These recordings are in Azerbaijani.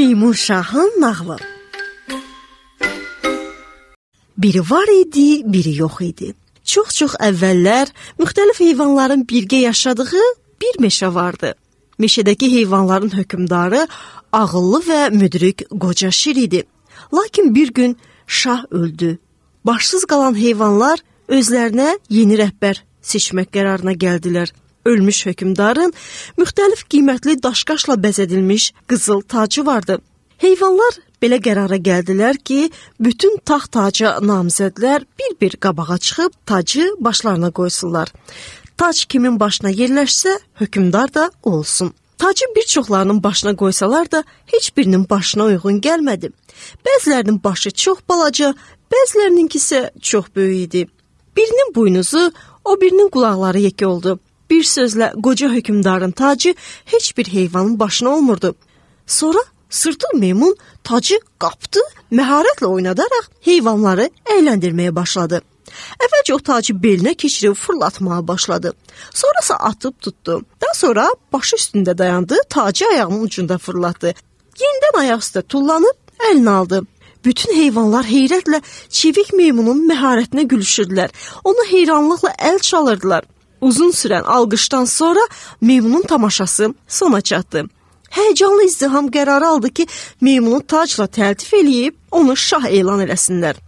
Meymun Şahın nağılı. Biri var idi, biri yox idi. Çox-çox əvvəllər müxtəlif heyvanların birgə yaşadığı bir meşə vardı. Meşədəki heyvanların hökmdarı ağıllı və müdrik qoca şir idi. Lakin bir gün şah öldü. Başsız qalan heyvanlar özlərinə yeni rəhbər seçmək qərarına gəldilər. Ölmüş hökmdarın müxtəlif qiymətli daşqaşla bəzədilmiş qızıl tacı vardı. Heyvanlar belə qərara gəldilər ki, bütün taxt taca namizədlər bir-bir qabağa çıxıb tacı başlarına qoysunlar. Tac kimin başına yerləşsə, hökmdar da olsun. Tacı bir çoxlarının başına qoysalar da heç birinin başına uyğun gəlmədi. Bəzilərinin başı çox balaca, bəzilərinin isə çox böyük idi. Birinin buynuzu, o birinin qulaqları yekə oldu. Bir sözlə qoca hökmdarın tacı heç bir heyvanın başına olmurdu. Sonra sırtıl meymun tacı qapdı, məharətlə oynadaraq heyvanları əyləndirməyə başladı. Əvvəlcə o tacı belinə keçirib fırlatmağa başladı. Sonrası atıb tutdu. Daha sonra başı üstündə dayandı, tacı ayağının ucunda fırlatdı. Yenidən ayaq üstə tullanıb əlinə aldı. Bütün heyvanlar heyrətlə çevik meymunun məharətinə gülüşürdülər. Ona heyranlıqla əl çalırdılar. Uzun sürən alqışdan sonra meymunun tamaşası sona çatdı. Həyəcanlı izdiham qərarı aldı ki, meymunu tacla təltif eləyib onu şah elan eləsinlər.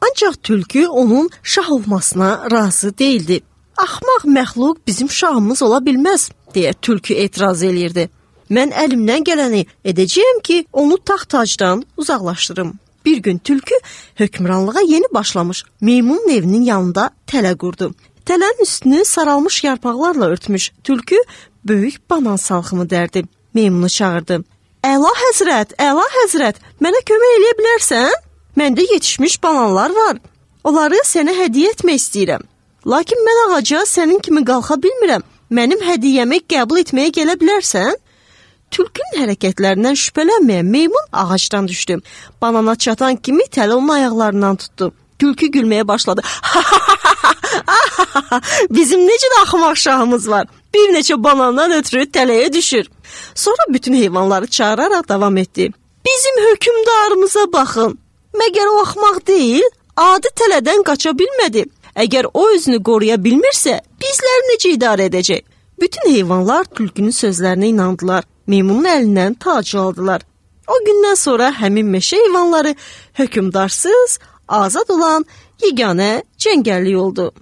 Ancaq tülkü onun şah olmasına razı değildi. Axmaq məxluq bizim şahımız ola bilməz, deyə tülkü etiraz eləyirdi. Mən əlimdən gələni edəcəyəm ki, onu taxt tacdan uzaqlaşdırım. Bir gün tülkü hökmranlığa yeni başlamış meymunun evinin yanında tələ qurdu. Tələnin üstünü saralmış yarpaqlarla örtmüş tülkü böyük banan salxımı dərdi. Meymunu çağırdı. Əla həzrət, mənə kömək eləyə bilərsən? Məndə yetişmiş bananlar var. Onları sənə hədiyyə etmək istəyirəm. Lakin mən ağaca sənin kimi qalxa bilmirəm. Mənim hədiyyəmi qəbul etməyə gələ bilərsən? Tülkünün hərəkətlərindən şübhələnməyən meymun ağacdan düşdü. Banana çatan kimi tələ onun ayaqlarından tutdu. Tülkü gülməyə başladı. Bizim necə də axmaq şahımız var. Bir neçə banandan ötürü tələyə düşür. Sonra bütün heyvanları çağıraraq davam etdi. Bizim hökmdarımıza baxın. Məgər o axmaq deyil? Adi tələdən qaça bilmədi. Əgər o özünü qoruya bilmirsə, bizləri necə idarə edəcək? Bütün heyvanlar tülkünün sözlərinə inandılar. Meymunun əlindən tacı aldılar. O gündən sonra həmin meşə heyvanları hökmdarsız, azad olan yeganə cəngəllik oldu.